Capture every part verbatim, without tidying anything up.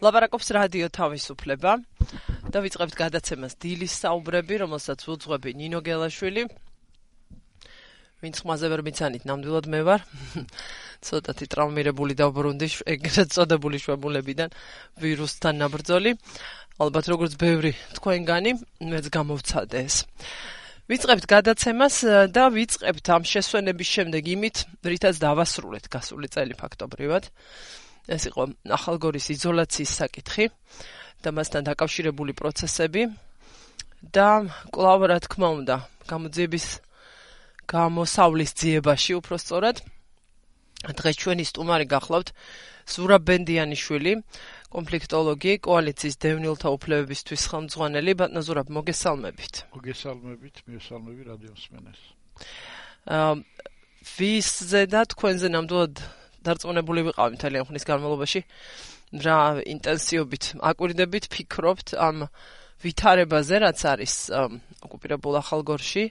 ლაპარაკობს რადიო თავისუფლება და ვიწყებთ გადაცემას დილის საუბრები, რომელსაც უძღვები ნინო გელაშვილი. ვინც ხმაზე ვერ მიცანით, ნამდვილად მე ვარ. ცოტათი ტრავმირებული დავბრუნდი ეგრეთ წოდებული შვებულებიდან ვირუსთან ნაბრძოლი. ალბათ როგორც ბევრი თქვენგანი, მეც გამოვცადე ეს. ვიწყებთ გადაცემას და ვიწყებთ ამ შესვენების შემდეგ იმით, რითაც დავასრულეთ გასული წელი ფაქტობრივად. ეს იყო ახალგორის იზოლაციის საკითხი და მასთან დაკავშირებული პროცესები და კვლავ რა თქმა უნდა გამოძიების გამოსავლის ძიებაში უпростоრად დღეს ჩვენი სტუმარი გახლავთ ზურაბ ბენდიანიშვილი, კონფლიქტოლოგი, კოალიციის დევნილთა უფლებებისთვის ხელმძღვანელი. ბატონო ზურაბ, მოგესალმებით. მოგესალმებით, მიესალმები რადიო მსმენელს. აა ვისზე და თქვენზე ნამდვილად დარწმუნებული ვიყავი მთელი ამ ხნის განმავლობაში, რა ინტენსივობით აკვირდებით, ფიქრობთ ამ ვითარებაზე, რაც არის ოკუპირებულ ახალგორში,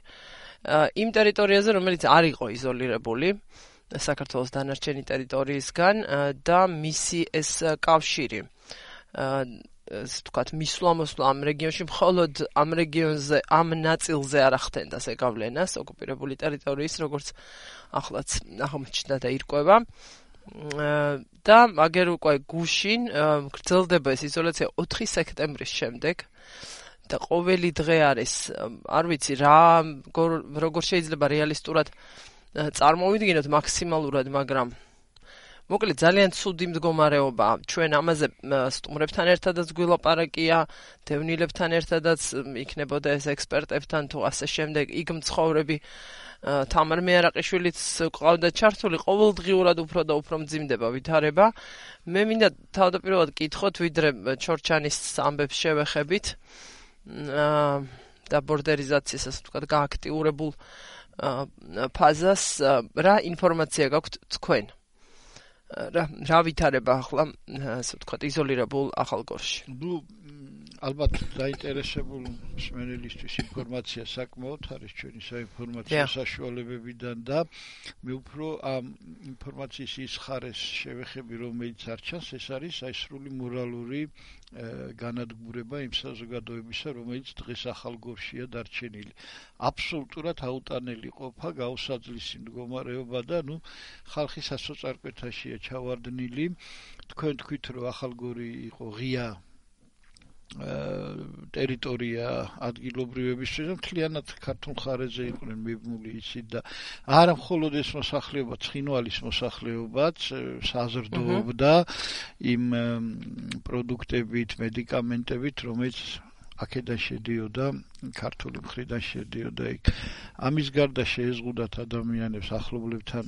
იმ ტერიტორიაზე, რომელიც არ იყო იზოლირებული საქართველოს დანარჩენი ტერიტორიისგან და მისი ეს კავშირი, ასე ვთქვათ, მისვლა-მოსვლა ამ რეგიონში მხოლოდ ამ რეგიონზე, ამ ნაწილზე არ ახდენდა ზეგავლენას ოკუპირებული ტერიტორიის, როგორც ახლაც აღმოჩნდა და ირკვევა. და აგერ უკვე გუშინ გრძელდება ეს იზოლაცია ოთხი სექტემბრის შემდეგ და ყოველი დღე არის, არ ვიცი რა, როგორ შეიძლება რეალისტურად წარმოვიდგინოთ მაქსიმალურად, მაგრამ მოკლედ ძალიან ცუდი მდგომარეობა. ჩვენ ამაზე სტუმრებთან ერთადაც გვილაპარაკია, დევნილებთან ერთადაც იქნებოდა ეს ექსპერტებთან თუ ასე შემდეგ, იქ მცხოვრები თამარ მეარაყიშვილიც ყავდა ჩართული, ყოველდღიურად უფრო და უფრო მძიმდება ვითარება. მე მინდა თავდაპირველად კითხოთ, ვიდრე ჩორჩანის ამბებს შევეხებით და ბორდერიზაციას, ასე ვთქვათ, გააქტიურებულ ფაზას, რა ინფორმაცია გაქვთ თქვენ? რა რა ვითარება ახლა, ასე ვთქვათ, იზოლირებულ ახალგორში? ნუ ალბათ დაინტერესებულ მსმენელისთვის ინფორმაცია საკმაოდ არის ჩვენი საინფორმაციო საშუალებებიდან და მე უფრო ამ ინფორმაციის ის ხარეს შევეხები, რომელიც არ ჩანს, ეს არის აი სრული მორალური განადგურება იმ საზოგადოებისა, რომელიც დღეს ახალგორშია დარჩენილი. აბსოლუტურად აუტანელი ყოფა, გაუსაძლისი მდგომარეობა და ნუ ხალხი სასოწარკვეთაშია ჩავარდნილი. თქვენ თქვით, რომ ახალგორი იყო ღია ტერიტორია ადგილობრივებისთვის და მთლიანად ქართულ მხარეზე იყვნენ მიბმული ისიც და არა მხოლოდ ეს მოსახლეობა, ცხინვალის მოსახლეობაც საზრდოობდა იმ პროდუქტებით, მედიკამენტებით, რომელიც აქედან შედიოდა, ქართული მხრიდან შედიოდა იქ. ამის გარდა შეეზღუდათ ადამიანებს ახლობლებთან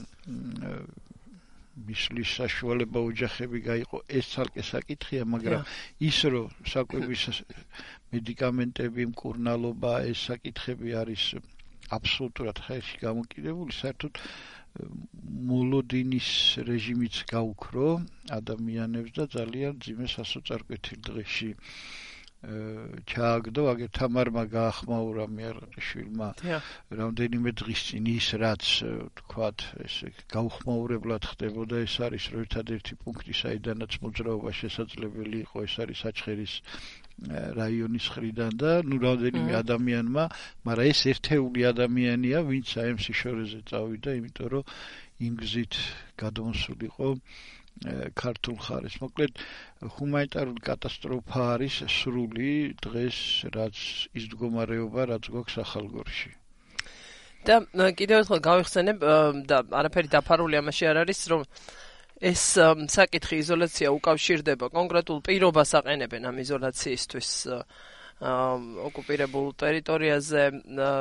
მისვლის საშუალება, ოჯახები გაიყო, ეს ცალკე საკითხია, მაგრამ ის რომ საკვების მედიკამენტები, მკურნალობა, ეს საკითხები არის აბსოლუტურად ხელში გამოკიდებული, საერთოდ მოლოდინის რეჟიმიც გაუქრო ადამიანებს და ძალიან ძიმე სასოწარკვეთილ დღეში ჩააგდო, აგერ თამარმა გაახმაურა მეარაყიშვილმა რამდენიმე დღის წინ ის, რაც თქვათ, ესე გაუხმაურებლად ხდებოდა, ეს არის რომ ერთადერთი პუნქტი, საიდანაც მოძრაობა შესაძლებელი იყო, ეს არის საჩხერის რაიონის მხრიდან და ნუ რამდენიმე ადამიანმა, მაგრამ ეს ერთეული ადამიანია, ვინც აემ სიშორეზე წავიდა, იმიტომ რომ იმ გზით გადმოსულიყო ქართულ მხარეს. მოკლედ ჰუმანიტარული კატასტროფა არის სრული დღეს, რაც ის მდგომარეობა, რაც გვაქვს ახალგორში. და კიდევ ერთხელ გავიხსენებ და არაფერი დაფარული ამაში არ არის, რომ ეს საკითხი იზოლაცია უკავშირდება კონკრეტულ პირობას აყენებენ ამ იზოლაციისთვის ოკუპირებულ ტერიტორიაზე,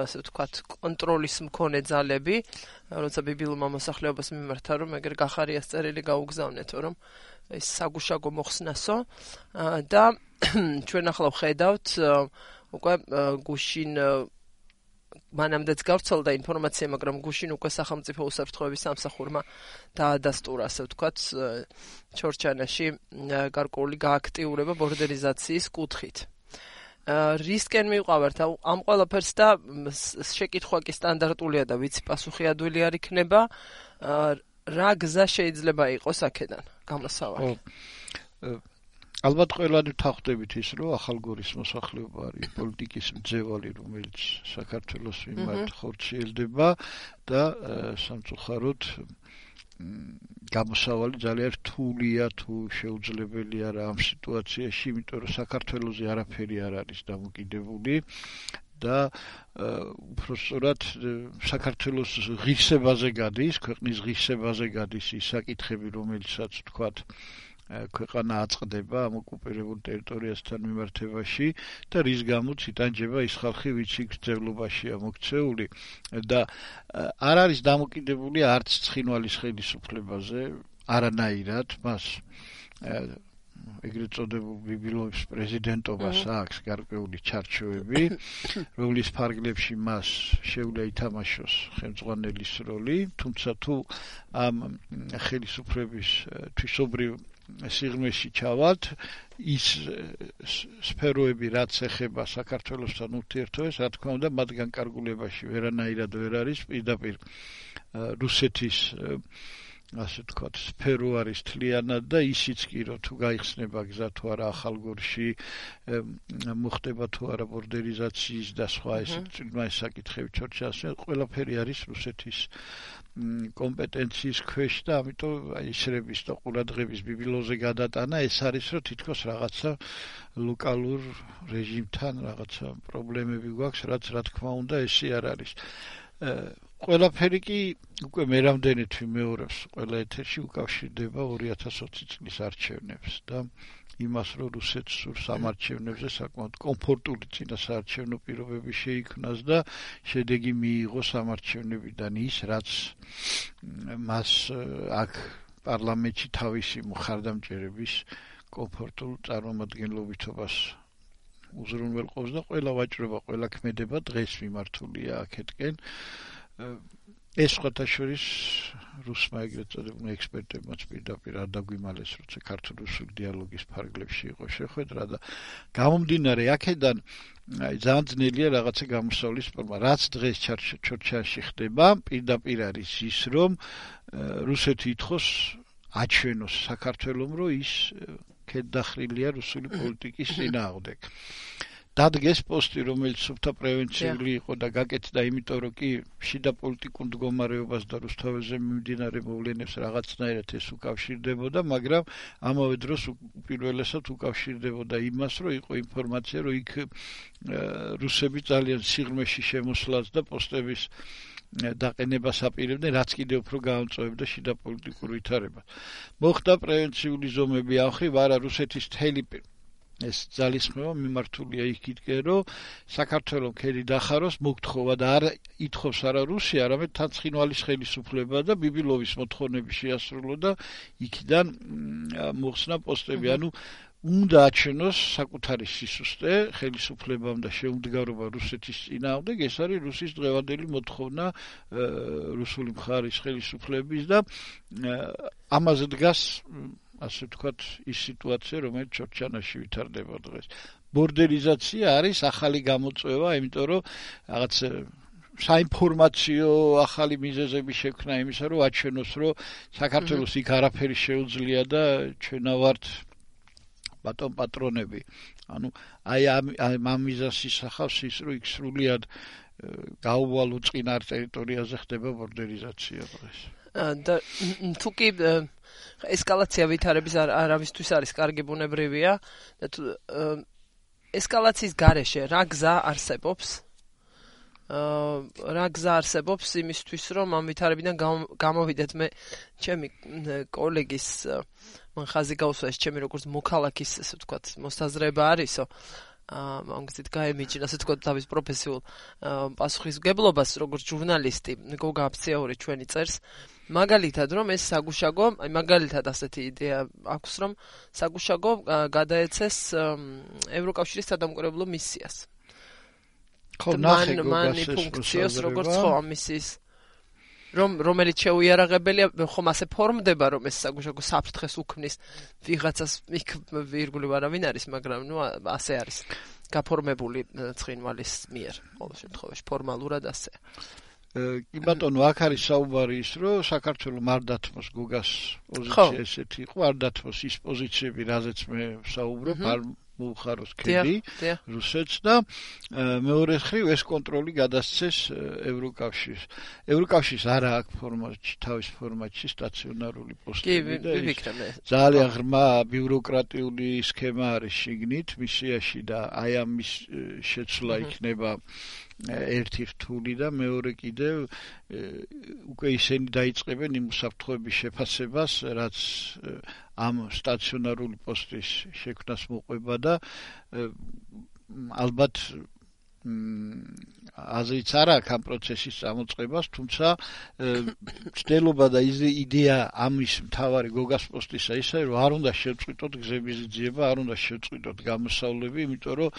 ასე ვთქვათ, კონტროლის მქონე ძალები, როცა ბიბილურმა მოსახლეობას მიმართა, რომ ეგერ გახარიას წერილი გაუგზავნეთო, რომ ეს საგუშაგო მოხსნასო და ჩვენ ახლა ვხედავთ უკვე გუშინ მანამდეც გავრცელდა ინფორმაცია, მაგრამ გუშინ უკვე სახელმწიფო უსაფრთხოების სამსახურმა დაადასტურა, ასე ვთქვათ, ჩორჩანაში გარკვეული გააქტიურება ბორდერიზაციის კუთხით. რისკენ მივყავართ ამ ყველაფერს და შეკითხვა კი სტანდარტულია და ვიცი პასუხი ადვილი არ იქნება, რა გზა შეიძლება იყოს აქედან გამოსავალი? ალბათ ყველანი ვთანხმდებით ის, რომ ახალგორის მოსახლეობა არის პოლიტიკის მძევალი, რომელიც საქართველოს მიმართ ხორციელდება და სამწუხაროდ გამოსავალი ძალიან რთულია თუ შეუძლებელი არა ამ სიტუაციაში, იმიტომ რომ საქართველოზე არაფერი არ არის დამოკიდებული და უბრალოდ საქართველოს ღირსებაზე გადის, ქვეყნის ღირსებაზე გადის ის საკითხები, რომელიცაც ვთქვათ ქვეყანა აწყდება ამ ოკუპირებულ ტერიტორიასთან მიმართებაში და რის გამოც იტანჯება ის ხალხი, ვინც იქ ძევლობაშია მოქცეული და არ არის დამოკიდებული არც ცხინვალის ხელისუფლებაზე, არანაირად მას ეგრეთ წოდებულ ბიბილოვის პრეზიდენტობას აქვს გარკვეული ჩარჩოები, რომლის ფარგლებში მას შეუძლია ითამაშოს ხელმძღვანელის როლი, თუმცა თუ ამ ხელისუფლების თვისობრივ სიღრმეში ჩავალთ, ის სფეროები, რაც ეხება საქართველოსთან ურთიერთობებს, რა თქმა უნდა, მათ განკარგულებაში ვერანაირად ვერ არის, პირდაპირ რუსეთის ასე ვთქვათ, სფერო არის თლიანად და ისიც კი რომ თუ გაიხსნება გზა თუ არა ახალგორში, მოხდება თუ არა ბორდერიზაციის და სხვა ესე წინვაის საკითხები ჩორჩასე, ყველაფერი არის რუსეთის კომპეტენციის ქვეშ და ამიტომ ისრების და ყურადღების ბიბილოზე გადატანა ეს არის რომ თითქოს რაღაცა ლოკალურ რეჟიმთან რაღაცა პრობლემები გვაქვს, რაც რა თქმა უნდა ესე არ არის. ყველაფერი კი უკვე მე რამდენით ვიმეორებს ყველა ეთერში უკავშირდება ორი ათას ოცი წლის არჩევნებს და იმას რომ რუსეთს სურს ამ არჩევნებზე საკმაოდ კომფორტული წინასაარჩევნო პირობები შეიქმნას და შედეგი მიიღოს ამ არჩევნებიდან ის რაც მას აქ პარლამენტში თავისი მხარდამჭერების კომფორტულ წარმომადგენლობითობას უზრუნველყოფს და ყველა ვაჭრობა, ყველა ქმედება დღეს მიმართულია აქეთკენ. ეს სხვათაშორის რუსმა ეგრეთ წოდებულ ექსპერტებმაც პირდაპირ არ დაგვიმალეს, როცა ქართულ-რუსული დიალოგის ფარგლებში იყო შეხვედრა და გამომდინარე აქედან ძალიან ძნელია რაღაცა გამოსავლის ფორმა. რაც დღეს ჩორჩაში ხდება, პირდაპირ არის ის, რომ რუსეთი ითხოვს აჩვენოს საქართველომ, რომ ის ქედდახრილია რუსული პოლიტიკის წინააღმდეგ. დადგეს პოსტი, რომელიც სუფთა პრევენციული იყო და გაკეთდა, იმიტომ რომ კი შიდა პოლიტიკურ მდგომარეობას და რუსთაველზე მიმდინარე მოვლენებს რაღაცნაირად ეს უკავშირდებოდა, მაგრამ ამავე დროს უპირველესად უკავშირდებოდა იმას, რომ იყო ინფორმაცია, რომ იქ რუსები ძალიან სიღრმეში შემოსვლას და პოსტების დაყენებას აპირებდნენ, რაც კიდევ უფრო გაამწვავებდა შიდა პოლიტიკურ ვითარებას. მოხდა პრევენციული ზომები ამ ხრივ, არა რუსეთის თელი ეს ძალისხმევა მიმართულია იქითკენ, რომ საქართველოს ქედი დახაროს მოგთხოვა და არ ითხოვს არა რუსია, არამედ თან ცხინვალის ხელისუფლება და ბიბილოვის მოთხოვნები შეასრულო და იქიდან მოხსნა პოსტები, ანუ უნდა აჩვენოს საკუთარი სისუსტე ხელისუფლებამ და შეუმდგარობა რუსეთის წინააღმდეგ, ეს არის რუსის დღევანდელი მოთხოვნა რუსული მხარის ხელისუფლების და ამაზე დგას ასე ვთქვათ, ის სიტუაცია, რომელიც ჩორჩანაში ვითარდება დღეს. ბორდერიზაცია არის ახალი გამოწვევა, იმიტომ რომ რაღაც საინფორმაციო ახალი მიზეზები შექმნა იმისა, რომ აჩვენოს, რომ საქართველოს იქ არაფერი შეუძლია და ჩვენა ვართ ბატონ პატრონები. ანუ აი ამ მიზეზს ისახავს ის, რომ იქ სრულიად გაუვალო წინარ ტერიტორიაზე ხდება ბორდერიზაცია დღეს. და თუ კი ესკალაცია ვითარების არავისთვის არის კარგი ბუნებრივია და თუ ესკალაციის გარეშე რა გზა არსებობს რა გზა არსებობს იმისთვის რომ ამ ვითარებიდან გამოვიდეთ მე ჩემი კოლეგის მან ხაზი გაუსვა ეს ჩემი როგორც მოქალაქის ასე ვთქვათ მოსაზრება არისო ამ გზით გაემიჯნა ასე ვთქვათ თავის პროფესიულ პასუხისმგებლობას როგორც ჟურნალისტი გოგა აფციური ჩვენი წერს მაგალითად რომ ეს საგუშაგო აი მაგალითად ასეთი იდეა აქვს რომ საგუშაგო გადაეცეს ევროკავშირის სადამკვირვებლო მისიას ხო ნახე გოგას ფუნქციას როგორც ხო ამ მისიის რომ რომელიც შეუიარაღებელია ხომ ასე ფორმდება რომ ეს საგუშაგო საფრთხეს უქმნის ვიღაცას იქ ვირგული არავინ არის მაგრამ ნუ ასე არის გაფორმებული ცხინვალის მიერ ყოველ შემთხვევაში ფორმალურად ასე კი ბატონო, აქ არის საუბარი ის, რომ საქართველოს არ დათმოს გოგას პოზიცია ესეთი იყო, არ დათმოს ის პოზიციები, რაზეც მე ვსაუბრობ, არ მოუხაროს ქედი რუსეთს და მეორე მხრივ ეს კონტროლი გადასცეს ევროკავშირს. ევროკავშირს არა აქვს ფორმატში, თავის ფორმატში სტაციონარული პოსტები და ძალიან ღრმა ბიუროკრატიული სქემა არის შიგნით მისიაში და აი ამის შეცვლა იქნება ერთი რთული და მეორე კიდევ უკვე ისინი დაიწყებენ იმ უსაფრთხოების შეფასებას, რაც ამ სტაციონარული პოსტის შექმნას მოყვება და ალბათ აზრიც არ აქვს ამ პროცესის წამოწყებას, თუმცა ცდილობა და იდეა ამის მთავარი გოგას პოსტისა ისაა, რომ არ უნდა შევწყვიტოთ გზების ძიება, არ უნდა შევწყვიტოთ გამოსავლები, იმიტომ რომ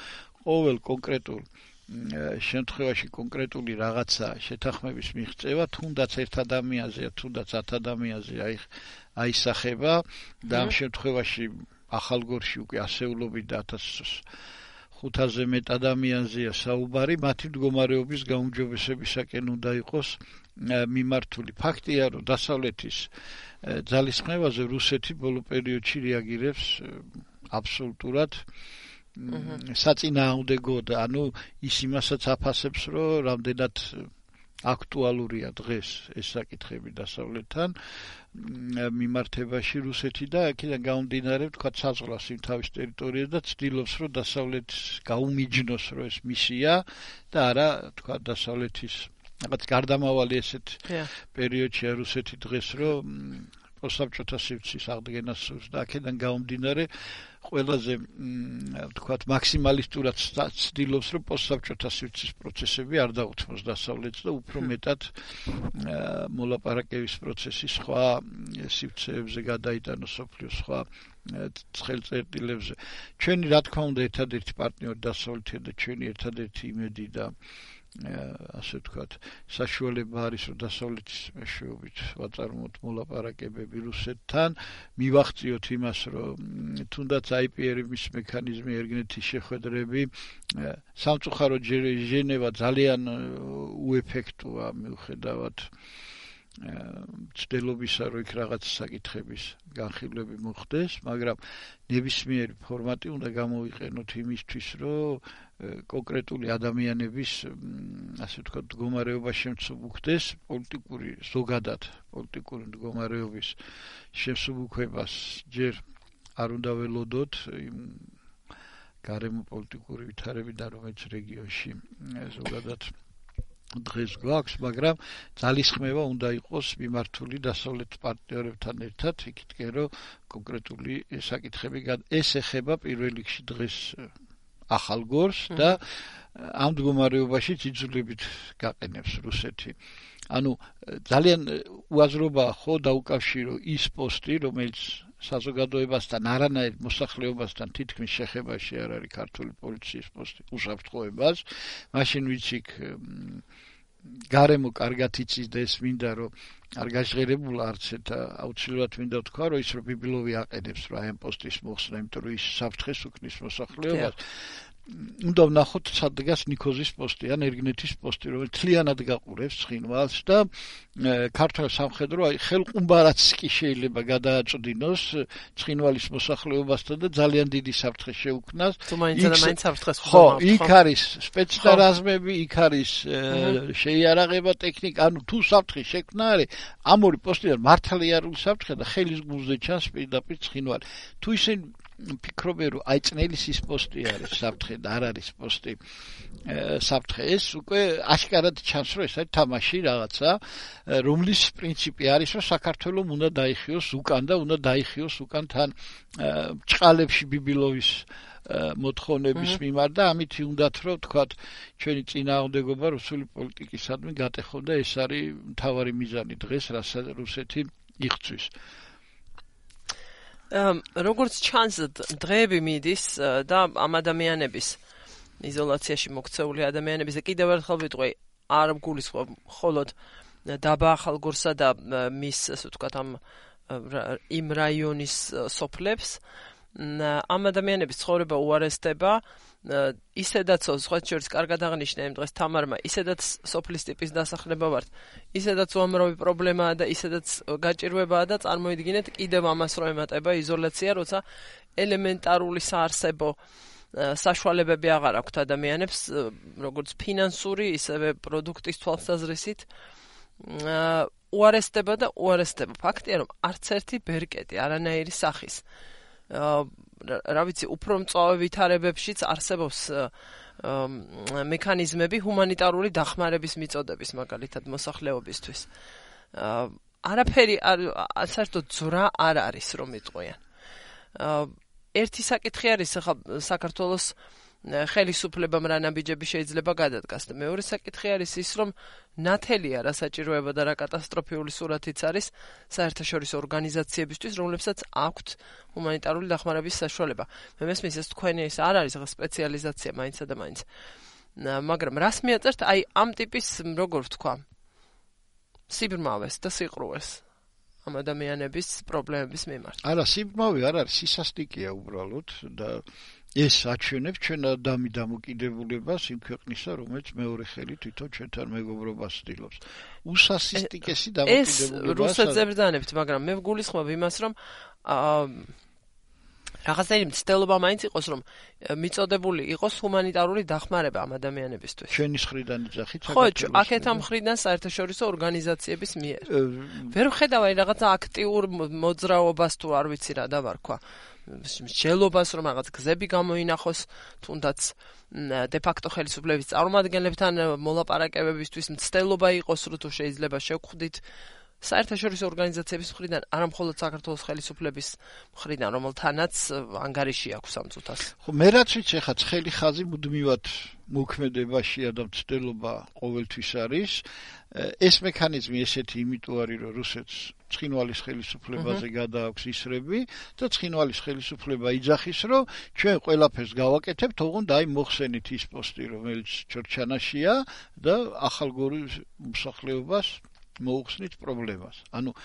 ყოველ კონკრეტულ შემთხვევაში კონკრეტული რაღაცა შეთანხმების მიღწევა თუნდაც ერთ ადამიანზეა, თუნდაც ათ ადამიანზე აისახება და ამ შემთხვევაში ახალგორში უკვე ასეულობით და ათას ხუთაზე მეტ ადამიანზეა საუბარი, მათი მდგომარეობის გაუმჯობესებისაკენ უნდა იყოს მიმართული. ფაქტია, რომ დასავლეთის ძალისხმევაზე რუსეთი ბოლო პერიოდში რეაგირებს აბსოლუტურად საწინააღმდეგოდ, ანუ ის იმასაც აფასებს, რომ რამდენად აქტუალურია დღეს ეს საკითხები დასავლეთთან მიმართებაში რუსეთი და აქედან გამომდინარე, თქვა საზღვრავს იმ თავის ტერიტორიაზე და ცდილობს, რომ დასავლეთს გაუმიჯნოს, რომ ეს მისია და არა, თქვა დასავლეთის რაღაც გარდამავალი ესეთ პერიოდშია რუსეთი დღეს, რომ პოსტსაბჭოთა სივრცის აღდგენას სურს და აქედან გამომდინარე ყველაზე ვთქვათ მაქსიმალისტურად ცდილობს, რომ პოსტსაბჭოთა სივრცის პროცესები არ დაუთმოს დასავლეთს და უფრო მეტად მოლაპარაკების პროცესი სხვა სივრცეებზე გადაიტანოს სოფლიოს სხვა ცხელწერტილებზე. ჩვენი რა თქმა უნდა ერთადერთი პარტნიორი დასავლეთია და ჩვენი ერთადერთი იმედი და ასე ვთქვათ, საშუალება არის, რომ დასავლეთის მეშვეობით ვაწარმოოთ მოლაპარაკებები რუსეთთან, მივახციოთ იმას, რომ თუნდაც აი პი არ-ის მექანიზმი, ერგნეთის შეხვედრები, სამწუხაროდ ჟენევა ძალიან უეფექტოა მიუხედავად ცდილობისა, რომ იქ რაღაც საკითხების განხილვები მოხდეს, მაგრამ ნებისმიერი ფორმატი უნდა გამოვიყენოთ იმისთვის, რომ კონკრეტული ადამიანების, ასე ვთქვათ, მდგომარეობა შემცუბუქდეს, პოლიტიკური ზოგადად პოლიტიკური მდგომარეობის შემსუბუქებას ჯერ არ უნდა ველოდოთ იმ გარემო პოლიტიკური ვითარებიდან, რომელიც რეგიონში ზოგადად დღეს გვაქვს, მაგრამ ძალისხმევა უნდა იყოს მიმართული დასავლეთ პარტნიორებთან ერთად, იქითკენ რომ კონკრეტული საკითხები ეს ეხება პირველ რიგში დღეს ახალგორს და ამ მდგომარეობაში ძიძულებით გაყენებს რუსეთი. ანუ ძალიან უაზრობაა ხო დაუკავშირო ის პოსტი, რომელიც საზოგადოებასთან არანაირ მოსახლეობასთან თითქმის შეხებაში არ არის ქართული პოლიციის პოსტი უსაფრთხოებას, მაშინ ვიცი გარემო კარგად იცის და ეს მინდა რომ არ გაჟღერებულა არც ერთ აუცილებლად მინდა თქვა რომ ის რომ ბიბილოვი აყენებს რა ამ პოსტის მოხსნა, იმიტომ რომ ის საფრთხეს უქმნის მოსახლეობას. უნდა ვნახოთ სადღაც ნიქოზის პოსტი ან ერგნეთის პოსტი, რომელიც თლიანად გაყურებს ცხინვალს და ქართულ სამხედრო აი ხელყუმბარაც კი შეიძლება გადააწვდინოს ცხინვალის მოსახლეობასთან და ძალიან დიდი საფრთხე შეუქმნას. თუ მაინც და მაინც საფრთხეს ხო, იქ არის სპეცდარაზმები, იქ არის შეიარაღება ტექნიკა, ანუ თუ საფრთხე შექმნა არის ამ ორი პოსტიდან მართალიერული საფრთხე და ხელის გულზე ჩანს პირდაპირ ცხინვალი. თუ ისინი ფიქრობენ რომ აი წნელის ის პოსტი არის საფრთხე და არ არის პოსტი საფრთხე, ეს უკვე აშკარად ჩანს რომ ეს არის თამაში რაღაცა, რომლის პრინციპი არის რომ საქართველოს უნდა დაიხიოს უკან და უნდა დაიხიოს უკან თან ჭყალებში ბიბილოვის მოთხოვნების მიმართ და ამით უნდათ რომ თქვათ ჩვენი წინააღმდეგობა რუსული პოლიტიკისადმი გატეხო და ეს არის მთავარი მიზანი დღეს, რასაც რუსეთი იღწვის. როგორც ჩანს დღეები მიდის და ამ ადამიანების იზოლაციაში მოქცეული ადამიანების და კიდევ ერთხელ ვიტყვი არ გულისხმობ მხოლოდ დაბა ახალგორსა და მის ასე ვთქვათ ამ იმ რაიონის სოფლებს, ამ ადამიანების ცხოვრება უარესდება, ისედაც სხვა შორის კარგად აღნიშნე იმ დღეს თამარმა, ისედაც სოფლის ტიპის დასახლება ვართ, ისედაც უამრავი პრობლემაა და ისედაც გაჭირვებაა და წარმოიდგინეთ კიდევ ამას რომ ემატება იზოლაცია, როცა ელემენტარული საარსებო საშუალებები აღარ აქვთ ადამიანებს, როგორც ფინანსური, ისევე პროდუქტის თვალსაზრისით. უარესდება და უარესდება. ფაქტია, რომ არც ერთი ბერკეტი არანაირი სახის რა ვიცი, უფრო მწვავე ვითარებებშიც არსებობს მექანიზმები ჰუმანიტარული დახმარების მიწოდების, მაგალითად მოსახლეობისთვის. არაფერი საერთოდ ძვრა არ არის რომ იტყვიან. ერთი საკითხი არის ახლა საქართველოს ხელისუფლებამ რა ნაბიჯები შეიძლება გადადგას და მეორე საკითხი არის ის რომ ნათელია რა საჭიროება და რა კატასტროფიული სურათიც არის საერთაშორისო ორგანიზაციებისთვის, რომლებსაც აქვთ ჰუმანიტარული დახმარების საშუალება. მე მესმის ეს თქვენი ის არ არის ახლა სპეციალიზაცია მაინცსა და მაინც. მაგრამ რას მიაწერთ აი ამ ტიპის როგორ ვთქვა სიბრმავეს და სიყრუეს ამ ადამიანების პრობლემების მიმართ. არა, სიბრმავე არ არის, სისასტიკეა უბრალოდ და ეს აჩვენებს ჩვენ ადამი დამოკიდებულებას იმ ქვეყნისა, რომელიც მეორე ხელით თვითონ ჩვენთან მეგობრობას ცდილობს. უსასისტიკესი დამოკიდებულება. ეს რუსეთს ებრძანებთ, მაგრამ მე ვგულისხმობ იმას, რომ რაღაცნაირი მცდელობა მაინც იყოს, რომ მიწოდებული იყოს ჰუმანიტარული დახმარება ამ ადამიანებისთვის. ჩვენი მხრიდან იძახით ხო, აქეთ ამ მხრიდან საერთაშორისო ორგანიზაციების მიერ. ვერ ვხედავ აი რაღაცა აქტიურ მოძრაობას თუ არ ვიცი რა დავარქვა. მსჯელობას რომ რაღაც გზები გამოინახოს, თუნდაც დე ფაქტო ხელისუფლების წარმომადგენლებთან მოლაპარაკებებისთვის მცდელობა იყოს, თუ შეიძლება შევხვდით საერთაშორისო ორგანიზაციების მხრიდან, არა მხოლოდ საქართველოს ხელისუფლების მხრიდან, რომელთანაც ანგარიში აქვს ამ წუთას. ხო, მე რაც ვიცი, ხა ცხელი ხაზი მუდმივად მოქმედებაშია და მცდელობა ყოველთვის არის. ეს მექანიზმი ესეთი იმიტომ არის, რომ რუსეთს ცხინვალის ხელისუფლებაზე გადააქვს ისრები და ცხინვალის ხელისუფლება იძახის, რომ ჩვენ ყველაფერს გავაკეთებთ, ოღონდ აი მოხსენით ის პოსტი, რომელიც ჩორჩანაშია და ახალგორის მოსახლეობას მოუხსნით პრობლემას. ანუ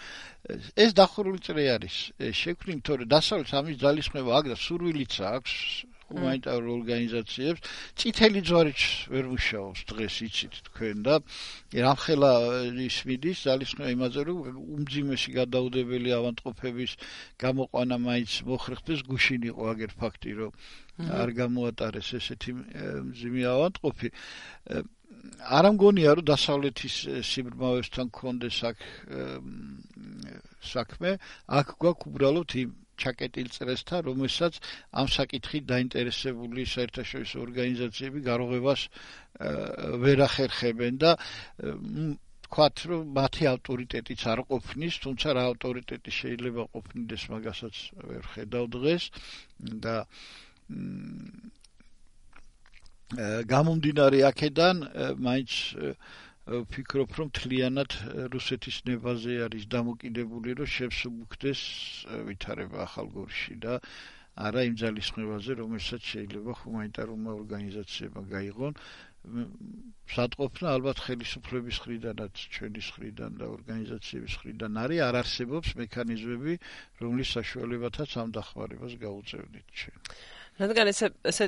ეს დახურული წრე არის. შექმნით, თორე დასავლეთს ამის ძალისხმევა აქვს და სურვილიც აქვს ჰუმანიტარულ ორგანიზაციებს. წითელი ჯვარიც ვერ მუშაობს დღეს, იცით თქვენ და რამხელა ის მიდის ძალისხმევა იმაზე, რომ უმძიმესი გადაუდებელი ავადმყოფების გამოყვანა მაინც მოხერხდეს, გუშინ იყო აგერ ფაქტი, რომ არ გამოატარეს ესეთი მძიმე ავადმყოფი. არ ამგონია რომ დასავლეთის სიბრმავესთან კონდეს აქ საქმე, აქ გვაქვს უბრალოდ იმ ჩაკეტილ წრესთან, რომელსაც ამ საკითხით დაინტერესებული საერთაშორისო ორგანიზაციები გარღვევას ვერ ახერხებენ და ვთქვათ, რომ მათი ავტორიტეტიც არ ყოფნის, თუმცა რა ავტორიტეტი შეიძლება ყოფნიდეს, მაგასაც ვერ ხედავ დღეს და გამომდინარე აქედან მაინც ვფიქრობ, რომ თლიანად რუსეთის ნებაზე არის დამოკიდებული, რომ შევსუბუქდეს ვითარება ახალგორში და არა იმ ძალისხმევაზე, რომელსაც შეიძლება ჰუმანიტარულმა ორგანიზაციებმა გაიღონ. სატყოფნა ალბათ ხელისუფლების მხრიდანაც, ჩვენი მხრიდან და ორგანიზაციების მხრიდან არის, არ არსებობს მექანიზმები, რომლის საშუალებათაც ამ დახმარებას გაუწევნით ჩვენ. რადგან ეს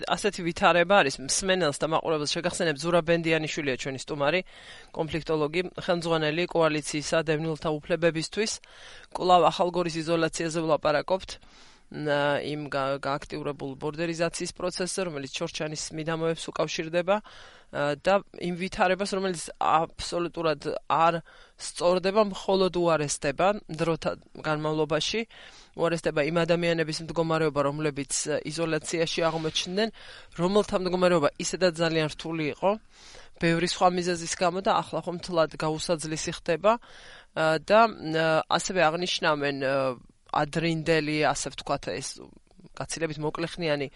ასეთი ვითარება არის, მსმენელს და მაყურებელს შეგახსენებ, ზურაბ ბენდიანიშვილია ჩვენი სტუმარი, კონფლიქტოლოგი, ხელმძღვანელი კოალიციისა დევნილთა უფლებებისთვის. კვლავ ახალგორის იზოლაციაზე ვლაპარაკობთ, იმ გააქტიურებულ ბორდერიზაციის პროცესზე, რომელიც ჩორჩანის მიდამოებს უკავშირდება და იმ ვითარებას, რომელიც აბსოლუტურად არ სწორდება, მხოლოდ უარესდება დროთა განმავლობაში. უარესდება იმ ადამიანების მდგომარეობა, რომლებიც იზოლაციაში აღმოჩნდნენ, რომელთა მდგომარეობა ისედაც ძალიან რთული იყო, ბევრი სხვა მიზეზის გამო და ახლა ხომ თლად გაუსაძლისი ხდება და ასევე აღნიშნავენ ადრინდელი, ასე ვთქვათ, ეს გაცილებით მოკლეხნიანი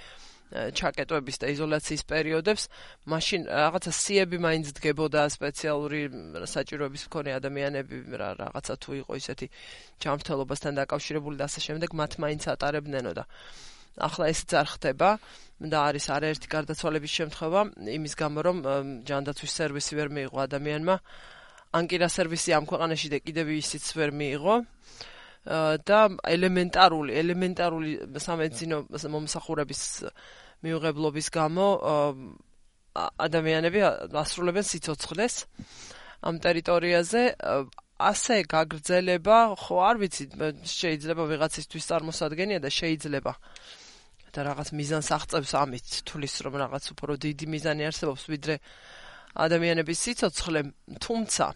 ჩაკეტვების და იზოლაციის პერიოდებს, მაშინ რაღაცა სიები მაინც დგებოდა სპეციალური საჭიროების მქონე ადამიანები, რაღაცა თუ იყო ისეთი ჯანმრთელობასთან დაკავშირებული და ასე შემდეგ, მათ მაინც ატარებდნენო და ახლა ესეც არ ხდება და არის არაერთი გარდაცვალების შემთხვევა, იმის გამო რომ ჯანდაცვის სერვისი ვერ მიიღო ადამიანმა, ანკირა სერვისი ამ ქვეყანაში და კიდევ ისიც ვერ მიიღო. და ელემენტარული ელემენტარული სამედიცინო მომსახურების მიუღებლობის გამო ადამიანები ასრულებენ სიცოცხლეს ამ ტერიტორიაზე ასე გაგრძელება ხო არ ვიცი შეიძლება ვიღაცისთვის წარმოსადგენია და შეიძლება და რაღაც მიზანს აღწევს ამით თulis რომ რაღაც უფრო დიდი მიზანი არსებობს ვიდრე ადამიანების სიცოცხლე თუმცა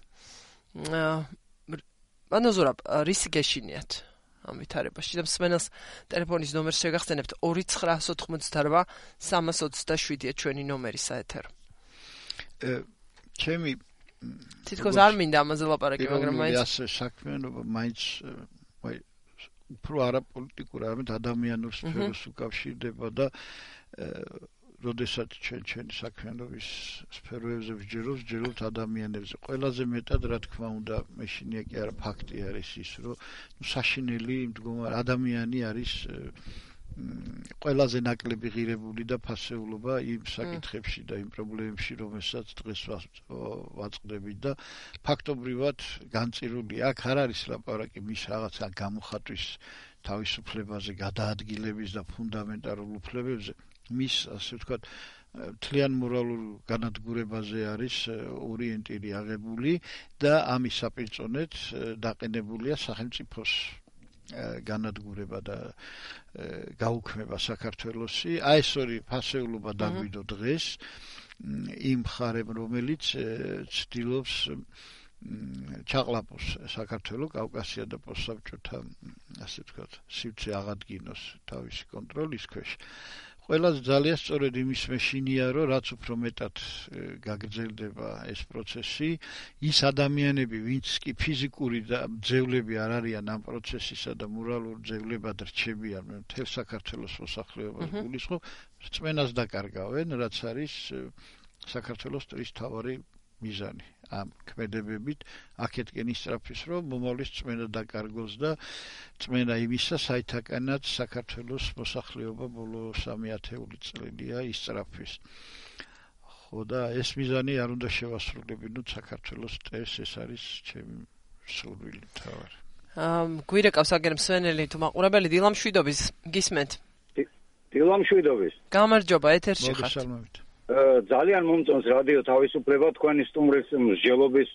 ანუ ზურაბ რისი გეშინიათ ამ ვითარებაში და მსმენელს ტელეფონის ნომერს შეგახსენებთ ორი ცხრა ოცდაოთხმოცდარვა სამას ოცდაშვიდია ჩვენი ნომერი საეთერო ჩემი თითქოს არ მინდა ამაზე ლაპარაკი მაგრამ მაინც ასე საქმიანობა მაინც ვაი უფრო არაპოლიტიკური არამედ ადამიანურ სფეროს უკავშირდება და როდესაც ჩვენ ჩვენი საქმიანობის სფეროებზე ვჯეროთ, ვჯეროთ ადამიანებზე. ყველაზე მეტად რა თქმა უნდა, მეშინია კი არა ფაქტი არის ის, რომ ნუ საშინელი მდგომარე ადამიანი არის ყველაზე ნაკლები ღირებული და ფასეულობა იმ საკითხებში და იმ პრობლემებში, რომელსაც დღეს ვაწყდებით და ფაქტობრივად განწირული აქ არ არის ლაპარაკი მის რაღაცა გამოხატვის თავისუფლებაზე, გადაადგილების და ფუნდამენტალურ უფლებებზე. მის ასე ვთქვათ მთლიან მორალურ განადგურებაზე არის ორიენტირი აღებული და ამის საპირწონედ დაყენებულია სახელმწიფოს განადგურება და გაუქმება საქართველოსი. აი ეს ორი ფასეულობა დაგვიდო დღეს იმ მხარემ რომელიც ცდილობს ჩაყლაპოს საქართველოს კავკასია და პოსტსაბჭოთა ასე ვთქვათ სივრცე აღადგინოს თავისი კონტროლის ქვეშ. Ყველას ძალიან სწორედ იმის მეშინია, რომ რაც უფრო მეტად გაგრძელდება ეს პროცესი, ის ადამიანები, ვინც კი ფიზიკური და ძევლები არ არიან ამ პროცესისა და მორალურ ძევლებად რჩებიან მთელ საქართველოს მოსახლეობას გულისხმობ, რწმენას დაკარგავენ, რაც არის საქართველოს ტრის მთავარი მიზანი. ამ ქმედებებით აქეთკენ ისწრაფის, რომ მომავლის წმენა დაკარგოს და წმენა იმისა, საითაკანაც საქართველოს მოსახლეობა ბოლო სამი ათეული წელია ისწრაფის. ხო და ეს მიზანი არ უნდა შევასრულებინოთ საქართველოს ტეს, ეს არის ჩემი სურვილი თავარი. გვირეკავს აგერ მსვენელი თუ მაყურებელი დილამშვიდობის გისმენთ. დილამშვიდობის. გამარჯობა ეთერში ხართ. მოგესალმებით. ძალიან მომწონს რადიო თავისუფლება თქვენი სტუმრის მსჯელობის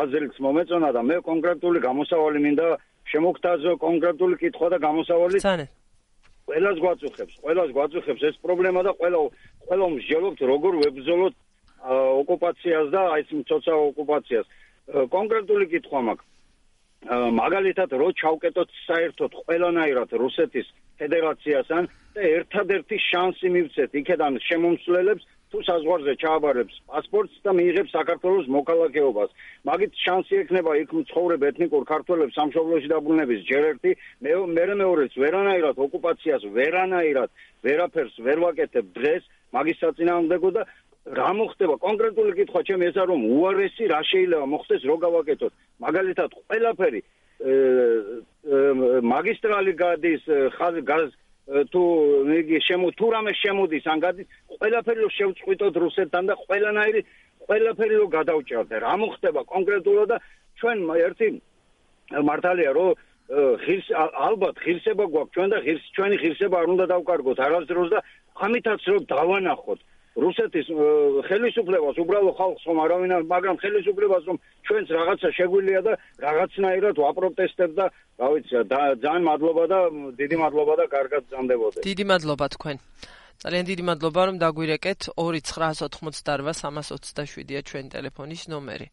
აზრს მომეწონა და მე კონკრეტული გამოსავალი მინდა შემოგთავაზო კონკრეტული კითხვა და გამოსავალი ყველას გვაწუხებს ყველას გვაწუხებს ეს პრობლემა და ყველა ყველა მსჯელობთ როგორ ვებრძოლოთ ოკუპაციას და აი ეს მცოცავ ოკუპაციას კონკრეტული კითხვა მაქვს მაგალითად რო ჩავკეტოთ საერთოდ ყველანაირად რუსეთის ფედერაციასთან და ერთადერთი შანსი მივცეთ იქედან შემომსვლელებს თუ საზღვარზე ჩააბარებს პასპორტს და მიიღებს საქართველოს მოქალაქეობას. მაგით შანსი ექნება იქ მცხოვრებ ეთნიკურ ქართველებს სამშობლოში დაბრუნების ჯერ ერთი, მერე მეორეც ვერანაირად ოკუპაციას ვერანაირად ვერაფერს ვერ ვაკეთებ დღეს მაგის საწინააღმდეგო და რა მოხდება კონკრეტული კითხვა ჩემი ესა რომ უარესი რა შეიძლება მოხდეს რო გავაკეთოთ მაგალითად ყველაფერი მაგისტრალი გადის გაზ თუ იგი შემო თუ რამე შემოდის ან გადის ყველაფერი რო შევწყვიტოთ რუსეთთან და ყველანაირი ყველაფერი რო გადავჭერთ რა მოხდება კონკრეტულად და ჩვენ ერთი მართალია რომ ღირს ალბათ ღირსება გვაქვს ჩვენ და ღირს ჩვენი ღირსება არ უნდა დავკარგოთ არასდროს და ამითაც რომ დავანახოთ რუსეთის ხელისუფლებას უბრალო ხალხს რომ არავინ არ მაგრამ ხელისუფლებას რომ ჩვენც რაღაცა შეგვიძლია და რაღაცნაირად ვაპროტესტებ და რა ვიცი ძალიან მადლობა და დიდი მადლობა და კარგად გრძანდებოდეთ. დიდი მადლობა თქვენ. ძალიან დიდი მადლობა რომ დაგვირეკეთ ორი ცხრა ოცდაოთხმოცდარვა სამას ოცდაშვიდია ჩვენი ტელეფონის ნომერი.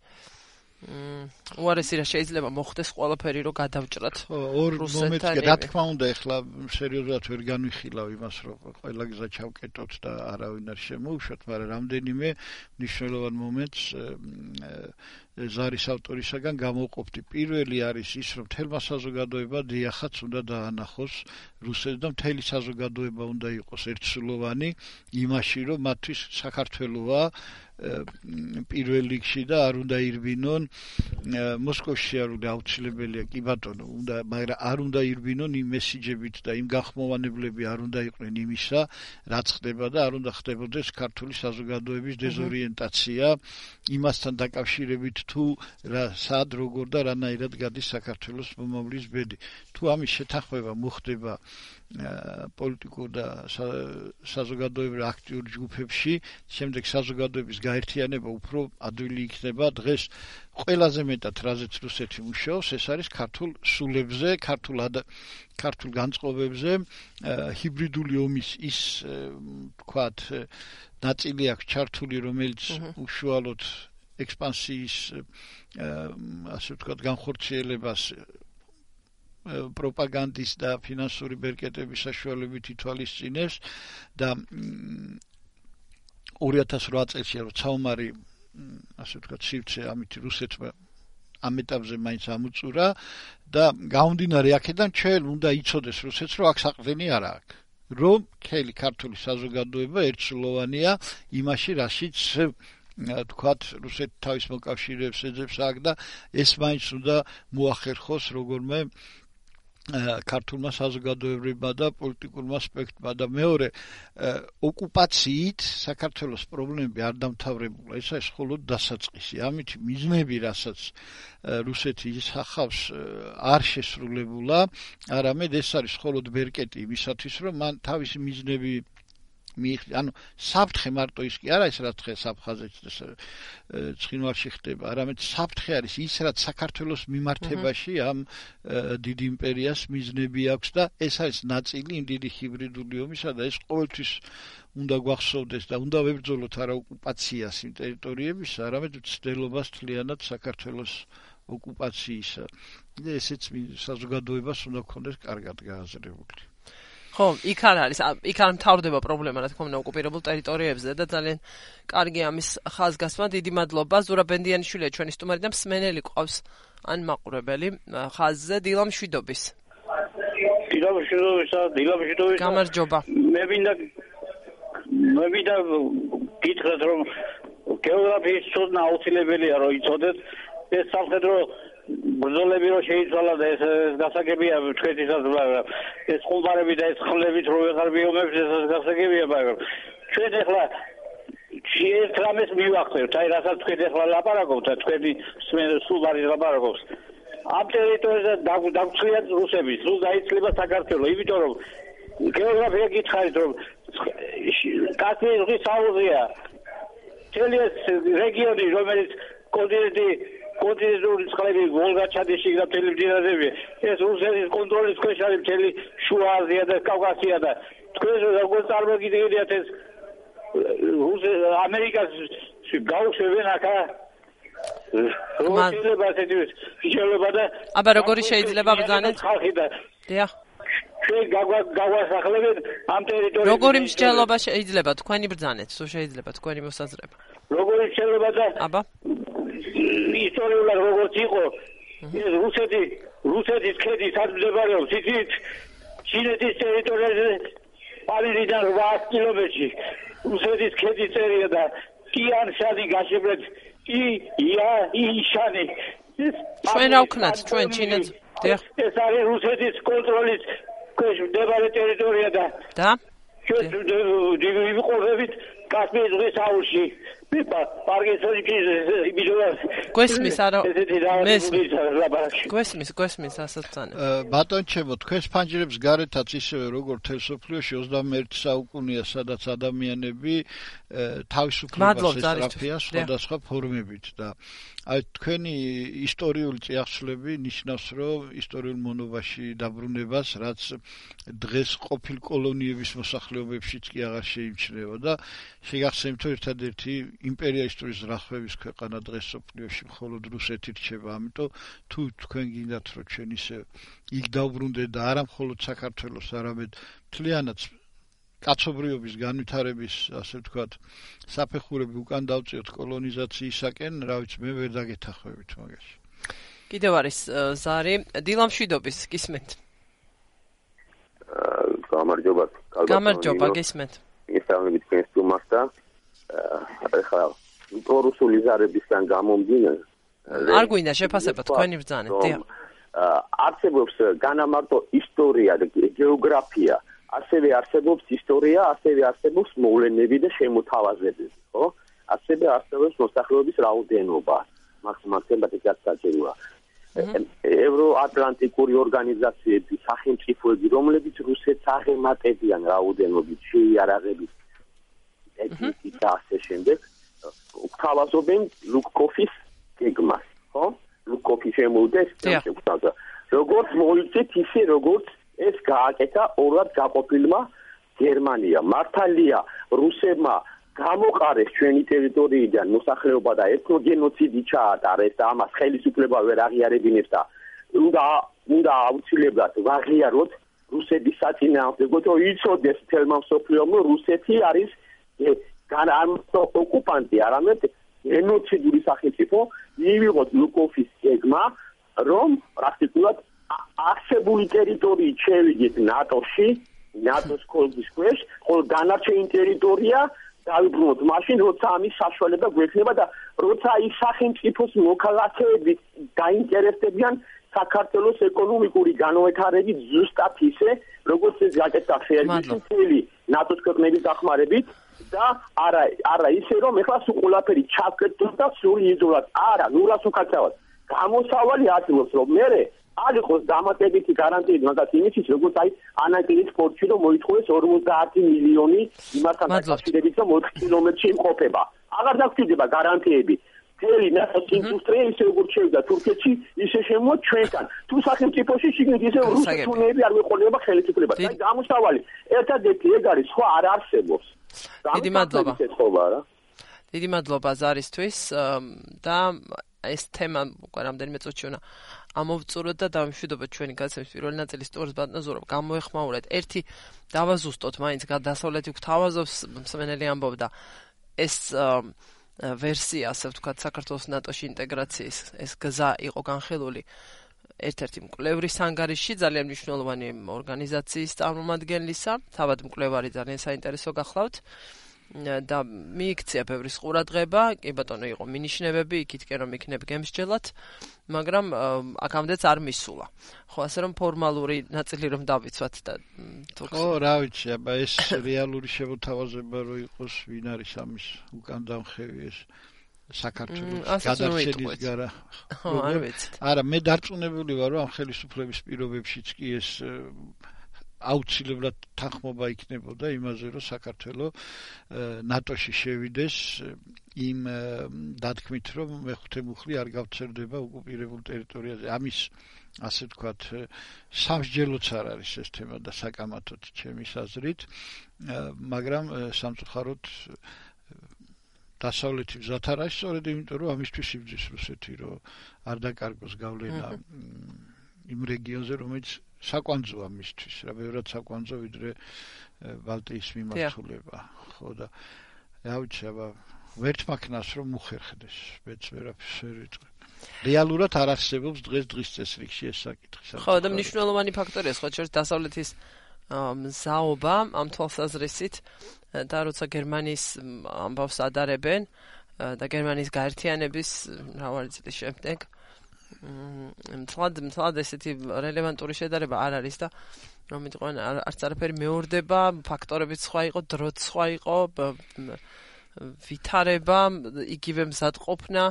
უარესი რა შეიძლება მოხდეს ყველაფერი რომ გადავჭრათ რუსეთთან. რა თქმა უნდა ეხლა სერიოზულად ვერ განვიხილავ იმას რომ ყველა გზა ჩავკეტოთ და არავინ არ შემოუშვათ, მაგრამ რამდენიმე მნიშვნელოვან მომენტს ზარის ავტორისაგან გამოვყოფდი. პირველი არის ის რომ თელმა საზოგადოება დიახაც უნდა დაანახოს რუსეთს და მთელი საზოგადოება უნდა იყოს ერთსულოვანი იმაში რომ მათთვის საქართველოა პირველ რიგში და არ უნდა ირბინონ მოსკოვში არ უნდა აუცილებელია კი ბატონო უნდა მაგრამ არ უნდა ირბინონ იმ მესიჯებით და იმ გახმოვანებლები არ უნდა იყვნენ იმისა რაც ხდება და არ უნდა ხდებოდეს ქართული საზოგადოების დეზორიენტაცია იმასთან დაკავშირებით თუ რა სად როგორ და რანაირად გადის საქართველოს მომავლის ბედი. თუ ამის შეთანხმება მოხდება პოლიტიკურ და საზოგადოებრივ აქტიურ ჯგუფებში, შემდეგ საზოგადოების გაერთიანება უფრო ადვილი იქნება. დღეს ყველაზე მეტად რაზეც რუსეთი მუშაობს, ეს არის ქართულ სულებზე, ქართულ ქართულ განწყობებზე, ჰიბრიდული ომის ის თქვათ ნაწილი აქვს ჩართული, რომელიც უშუალოდ ექსპანსიის ასე ვთქვათ განხორციელებას პროპაგანდის და ფინანსური ბერკეტების საშუალებით ითვალისწინებს და ორი ათას რვა წელს როცა ასე ვთქვათ სივრცე ამით რუსეთმა ამ ეტაპზე მაინც ამუწურა და გამომდინარე აქედან ჩვენ უნდა იცოდეს რუსეთს რომ აქ საყრდენი არ აქვს რომ მთელი ქართული საზოგადოება ერთსულოვანია იმაში რაშიც თქვათ რუსეთი თავის მოკავშირეებს ეძებს აქ და ეს მაინც უნდა მოახერხოს როგორმე ქართულმა საზოგადოებრივმა და პოლიტიკურმა სპექტრმა და მეორე ოკუპაციით საქართველოს პრობლემები არ დამთავრებულა ეს არის მხოლოდ დასაწყისი ამით მიზნები რასაც რუსეთი ისახავს არ შესრულებულა არამედ ეს არის მხოლოდ ბერკეტი იმისათვის რომ მან თავისი მიზნები ანუ საფრთხე მარტო ის კი არა ის რაც ხე საფხაზეთს ცხინვალში ხდება არამედ საფრთხე არის ის რაც საქართველოს მიმართებაში ამ დიდ იმპერიას მიზნები აქვს და ეს არის ნაწილი იმ დიდი ჰიბრიდული ომისა და ეს ყოველთვის უნდა გვახსოვდეს და უნდა ვებრძოლოთ არა ოკუპაციას იმ ტერიტორიებისა არამედ მცდელობას თლიანად საქართველოს ოკუპაციისა და ესეც საზოგადოებას უნდა გქონდეს კარგად გააზრებული ხო, იქ არ არის, იქ არ მთავრდება პრობლემა, რა თქმა უნდა, ოკუპირებულ ტერიტორიებზე და ძალიან კარგი ამის ხაზგასმა, დიდი მადლობა. ზურაბ ბენდიანიშვილია ჩვენი სტუმარი და მსმენელი ყავს ან მაყურებელი ხაზზე დილა მშვიდობის. დილა მშვიდობისა, დილა მშვიდობისა. გამარჯობა. მე მინდა მე მინდა გითხრათ რომ გეოგრაფიის ცოდნა აუცილებელია რომ იცოდეთ ეს სამხედრო ბრძოლები რო შეიცვალა და ეს გასაგებია თქვენთვისაც მაგრამ ეს ხუმბარები და ეს ხლებით რო ვეღარ მიომებს ეს გასაგებია მაგრამ ჩვენ ახლა ერთ რამეს მივახცევთ აი რასაც თქვენ ახლა ლაპარაკობთ და თქვენი სულბარის ლაპარაკობს ამ ტერიტორიაზე დაგწლია რუსები სულ დაიცლება საქართველო იმიტომ რომ გეოგრაფია გითხარით რომ კასპიის ზღვის აუზია მთელი ეს რეგიონი რომელიც კონტინენტი კონტინენტური წყლები ვოლგა ჩადიში და მთელი მდინარეები ეს რუსეთის კონტროლის ქვეშ არის მთელი შუა აზია და კავკასია და თქვენ როგორ წარმოგიდგენიათ ეს ამერიკას გაუშვებენ აქა შეიძლება ასეთი შეიძლება და აბა როგორი შეიძლება ბრძანეთ დიახ ჩვენ გავასახლებენ ამ ტერიტორიაზე როგორი მსჯელობა შეიძლება თქვენი ბრძანეთ სულ შეიძლება თქვენი მოსაზრება როგორი შეიძლება და აბა ისტორიულად როგორც იყო ეს რუსეთი რუსეთის ქედი სად მდებარეობს იცით ჩინეთის ტერიტორიაზე პარიზიდან რვაას კილომეტრში რუსეთის ქედის წერია და ტიან-შანი გაშებრეთ ი ია იშანი ჩვენ რა ვქნათ ჩვენ ჩინეთს ეს არის რუსეთის კონტროლის ქვეშ მდებარე ტერიტორია და და ჩვენ ვიყურებით კასპიის ზღვის აუზში გვესმის არა გვესმის გვესმის ასაცანე ბატონ ჩემო თქვენს ფანჯრებს გარეთაც ისევე როგორც თელ სოფლიოში ოცდამეერთე საუკუნეა სადაც ადამიანები თავისუფლებას ესწრაფიან სხვადასხვა ფორმებით და აი თქვენი ისტორიული წიაღსვლები ნიშნავს რომ ისტორიულ მონობაში დაბრუნებას რაც დღეს ყოფილ კოლონიების მოსახლეობებშიც კი აღარ შეიმჩნევა და შეგახსენებთ ერთადერთი იმპერიალისტური ზრახვების ქვეყანა დღეს სოფლიოში მხოლოდ რუსეთი რჩება, ამიტომ თუ თქვენ გინდათ რომ ჩვენ ისე იქ დავბრუნდეთ და არა მხოლოდ საქართველოს, არამედ მთლიანად კაცობრიობის განვითარების, ასე ვთქვათ, საფეხურები უკან დავწიოთ კოლონიზაციისაკენ, რა ვიცი, მე ვერ დაგეთახვებით მაგაში. კიდევ არის ზარი, დილა მშვიდობის, გისმენთ. გამარჯობა. გამარჯობა, გისმენთ. ისწავლებით თქვენს სტუმარს და ახლა პრორუსული ზარებისგან გამომდინარე არ გვინდა შეფასება თქვენი ბრძანეთ დიახ არსებობს განამარტო ისტორია და გეოგრაფია ასევე არსებობს ისტორია ასევე არსებობს მოვლენები და შემოთავაზებები ხო ასევე არსებობს მოსახლეობის რაოდენობა მაქსიმალურად თემატიკას საჭიროა. ევროატლანტიკური ორგანიზაციები, სახელმწიფოები, რომლებიც რუსეთს აღემატებიან რაოდენობით, შეიარაღებით, ტექნიკით და ასე შემდეგ, გვთავაზობენ ლუკკოფის გეგმას, ხო? ლუკკოფი შემოვიდეს შემოგთავაზა. როგორც მოიცით, ისე როგორც ეს გააკეთა ორად გაყოფილმა გერმანიამ. მართალია, რუსებმა გამოყარეს ჩვენი ტერიტორიიდან მოსახლეობა და ეთნოგენოციდი ჩაატარეს და ამას ხელისუფლება ვერ აღიარებინებს და უნდა უნდა აუცილებლად ვაღიაროთ რუსების საწინააღმდეგოდ, რომ იცოდეს თელმა მსოფლიომ, რომ რუსეთი არის განამტო ოკუპანტი, არამედ გენოციდური სახელმწიფო, მივიღოთ ლუკკოფის გეგმა, რომ პრაქტიკულად არსებული ტერიტორიით შევიდეთ ნატოში, ნატოს კოლგის ქვეშ, ხოლო დანარჩენი ტერიტორია დავიბრუნოთ მაშინ, როცა ამის საშუალება გვექნება და როცა ის სახელმწიფოს მოქალაქეები დაინტერესდებიან საქართველოს ეკონომიკური განვითარებით ზუსტად ისე, როგორც ეს გაკეთდა ფერმერის მთელი ნატოს ქვეყნების დახმარებით და არა არა ისე, რომ ეხლა სულ ყველაფერი ჩავკეთოთ და სრული იზოლად. არა, ნულას უკაცრავად. გამოსავალი არსებობს, რომ მერე არ იყოს დამატებითი გარანტიები მაგათ იმისთვის, როგორც აი ანაკილის პორტში რომ მოითხოვეს ორმოცდაათი მილიონი იმასთან დაკავშირებით, რომ ოთხ კილომეტრში იმყოფება. აღარ დაგჭირდება გარანტიები. მთელი ნატოს ინდუსტრია ისე როგორც შევიდა თურქეთში, ისე შემოვა ჩვენთან. თუ სახელმწიფოში შიგნით ისე რუსეთუნეები არ მეყოლება ხელისუფლებას. აი გამოსავალი ერთადერთი ეგ არის, სხვა არ არსებობს. დიდი მადლობა. დიდი მადლობა ზარისთვის და ეს თემა უკვე რამდენიმე წუთში უნდა ამოვწუროთ და დავიმშვიდობოთ ჩვენი გაცემის პირველი ნაწილის სტუმარს ბატონაზურობ გამოეხმაურეთ. ერთი დავაზუსტოთ მაინც დასავლეთი გვთავაზობს მსმენელი ამბობდა ეს ვერსია, ასე ვთქვათ, საქართველოს ნატოში ინტეგრაციის ეს გზა იყო განხილული ერთ-ერთი მკვლევრის ანგარიშში, ძალიან მნიშვნელოვანი ორგანიზაციის წარმომადგენლისა, თავად მკვლევარი ძალიან საინტერესო გახლავთ. და მიიქცია ბევრი ყურადღება, კი ბატონო იყო მინიშნებები, იქითკენ რომ იქნებ გემსჯელად, მაგრამ აქამდეც არ მისულა. ხო, ასე რომ ფორმალური ნაწილი რომ დავიცვათ და თუ ხო, რა ვიცი, აბა ეს რეალური შემოთავაზება რო იყოს, ვინ არის ამის უკან დამხევი ეს საქართველოს გადარჩენის გარა. ხო, არ ვიცით. არა, მე დარწმუნებული ვარ, რომ ამ ხელისუფლების პირობებშიც კი ეს აუცილებლად თანხმობა იქნებოდა იმაზე, რომ საქართველო ნატოში შევიდეს იმ დათქმით, რომ მეხუთე მუხლი არ გავცერდება ოკუპირებულ ტერიტორიაზე. ამის ასე ვთქვათ, სამსჯელოც არ არის ეს თემა და საკამათოდ ჩემის აზრით, მაგრამ სამწუხაროდ დასავლეთი გზად არ არის, სწორედ იმიტომ, რომ ამისთვის იბრძვის რუსეთი, რომ არ დაკარგოს გავლენა იმ რეგიონზე, რომელიც საკვანძოა მისთვის, რა ბევრად საკვანძო ვიდრე ბალტიის მიმართულება. ხო და რა ვიცი, აბა ვერთ მაქნას რომ მოხერხდეს, მეც ვერაფერს ვერ ვიტყვი. რეალურად არ არსებობს დღეს დღის წესრიგში ეს საკითხი. ხო და მნიშვნელოვანი ფაქტორია სხვა შორის დასავლეთის მზაობა ამ თვალსაზრისით და როცა გერმანიის ამბავს ადარებენ და გერმანიის გაერთიანების მრავალი წლის შემდეგ მთლად მთლად ესეთი რელევანტური შედარება არ არის და რომ მიტყვენ არც არაფერი მეორდება, ფაქტორებიც სხვა იყო, დროც სხვა იყო, ვითარება, იგივე მზადყოფნა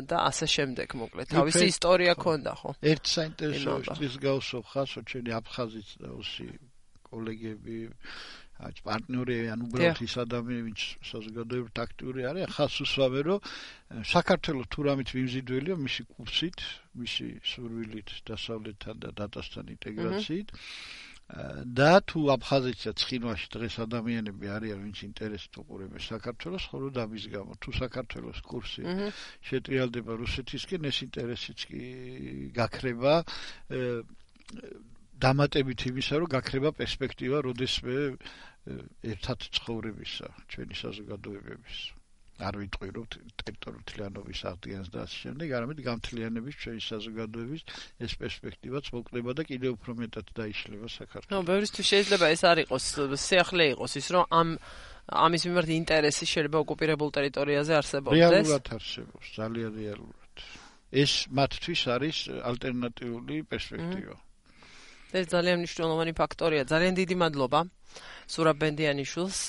და ასე შემდეგ, მოკლედ. თავისი ისტორია ქონდა, ხო? ერთ საინტერესო ის გავსო ხასო ჩვენი აფხაზიც და ოსი კოლეგები აი პარტნიორები ან უბრალოდ ის ადამიანები ვინც საზოგადოებრივ აქტიური არის, ხას უსვამენ რომ საქართველოს თუ რამით მიმზიდველია მისი კურსით, მისი სურვილით დასავლეთთან და დატასთან ინტეგრაციით და თუ აფხაზეთსა ცხინვალში დღეს ადამიანები არიან ვინც ინტერესით უყურებენ საქართველოს, ხოლო და მის გამო თუ საქართველოს კურსი შეტრიალდება რუსეთისკენ, ეს ინტერესიც კი გაქრება დამატებით იმისა, რომ გაქრება პერსპექტივა, როდესმე ერთად ცხოვრებისა, ჩვენი საზოგადოებების. არ ვიტყვი, რომ ტერიტორიულობის აღდგენას და ასე შემდეგ, არამედ გამთლიანების ჩვენი საზოგადოების ეს პერსპექტივაც მოკლდება და კიდევ უფრო მეტად დაიშლება საქართველოს. ნუ, ბევრისთვის შეიძლება ეს არ იყოს, სიახლე იყოს ის, რომ ამ ამის მიმართ ინტერესი შეიძლება ოკუპირებულ ტერიტორიაზე არსებობდეს. რეალურად არსებობს, ძალიან რეალურად. ეს მათთვის არის ალტერნატიული პერსპექტივა. ეს ძალიან მნიშვნელოვანი ფაქტორია. ძალიან დიდი მადლობა სურაბ ბენდიანიშვილს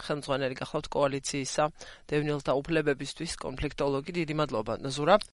ხელმძღვანელი გახლავთ კოალიციისა დევნილთა უფლებებისთვის კონფლიქტოლოგი. დიდი მადლობა ზურაბ.